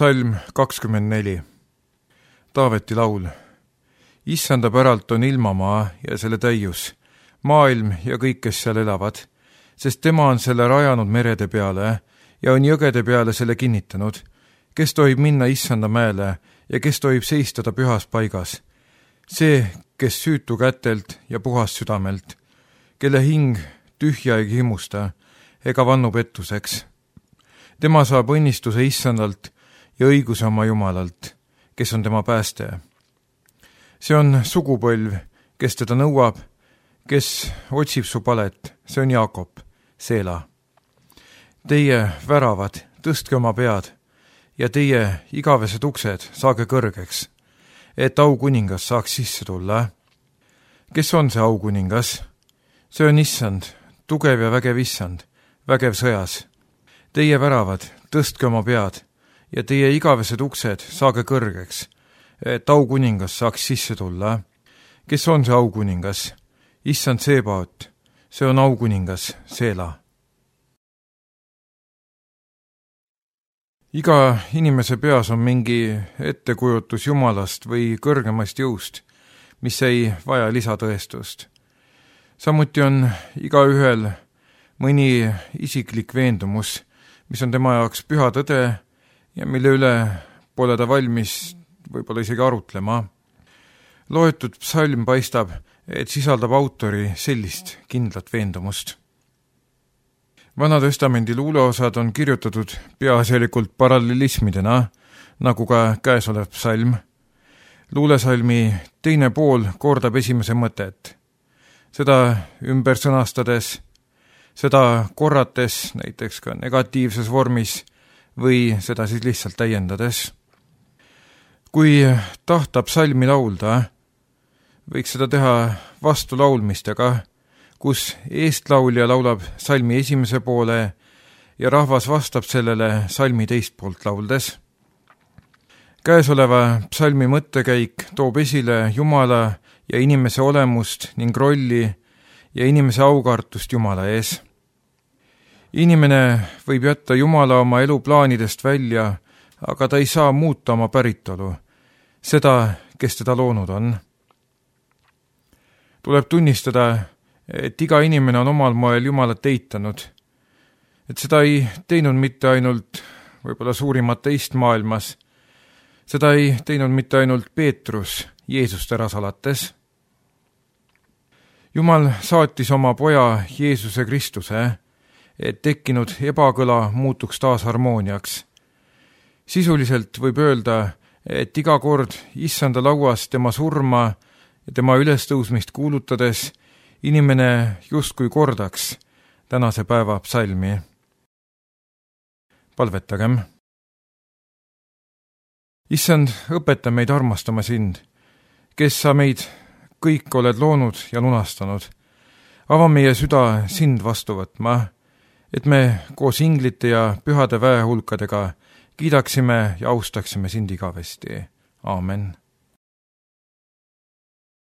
Psalm 24. Taaveti laul. Issanda päralt on ilmamaa ja selle täius, maailm ja kõik, kes seal elavad, sest tema on selle rajanud merede peale ja on jõgede peale selle kinnitanud. Kes tohib minna Issanda mäele ja kes tohib seista ta pühas paigas? See, kes süütu kätelt ja puhas südamelt, kelle hing tühja ei himusta ega vannu pettuseks. Tema saab õnnistuse Issandalt ja õiguse oma Jumalalt, kes on tema pääste. See on sugupõlv, kes teda nõuab, kes otsib su palet, see on Jaakob, Seela. Teie väravad, tõstke oma pead ja teie igavesed uksed saage kõrgeks, et aukuningas saaks sisse tulla. Kes on see aukuningas? See on Issand, tugev ja vägev Issand, vägev sõjas. Teie väravad, tõstke oma pead ja teie igavesed uksed saage kõrgeks, et aukuningas saaks sisse tulla. Kes on see aukuningas? Issand Seebaot, see on aukuningas, Seela. Iga inimese peas on mingi ettekujutus Jumalast või kõrgemast jõust, mis ei vaja lisatõestust. Samuti on igaühel mõni isiklik veendumus, mis on tema jaoks püha tõde ja mille üle pole ta valmis võib-olla isegi arutlema. Loetud psalm paistab, et sisaldab autori sellist kindlat veendumust. Vana-testamendi luuleosad on kirjutatud peaasjalikult parallelismidena, nagu ka käesolev psalm. Luulesalmi teine pool kordab esimese mõtet. Seda ümber sõnastades, seda korrates, näiteks ka negatiivses vormis, või seda siis lihtsalt täiendades. Kui tahta psalmi laulda, võiks seda teha vastulaulmistega, kus eestlaulja laulab salmi esimese poole ja rahvas vastab sellele salmi teist poolt lauldes. Käesoleva psalmi mõttekäik toob esile Jumala ja inimese olemust ning rolli ja inimese aukartust Jumala ees. Inimene võib jätta Jumala oma eluplaanidest välja, aga ta ei saa muuta oma päritolu, seda, kes teda loonud on. Tuleb tunnistada, et iga inimene on omal moel Jumalat eitanud, et seda ei teinud mitte ainult võib-olla suurim ateist maailmas, seda ei teinud mitte ainult Peetrus Jeesust ära salates. Jumal saatis oma poja Jeesuse Kristuse, et tekkinud ebakõla muutuks taas harmooniaks. Sisuliselt võib öelda, et iga kord Issanda lauas tema surma ja tema ülestõusmist kuulutades inimene justkui kordaks tänase päeva psalmi. Palvetagem. Issand, õpeta meid armastama sind, kes sa meid kõik oled loonud ja lunastanud. Ava meie süda sind vastu võtma, et me koos inglite ja pühade väehulkadega kiidaksime ja austaksime sind igavesti. Aamen.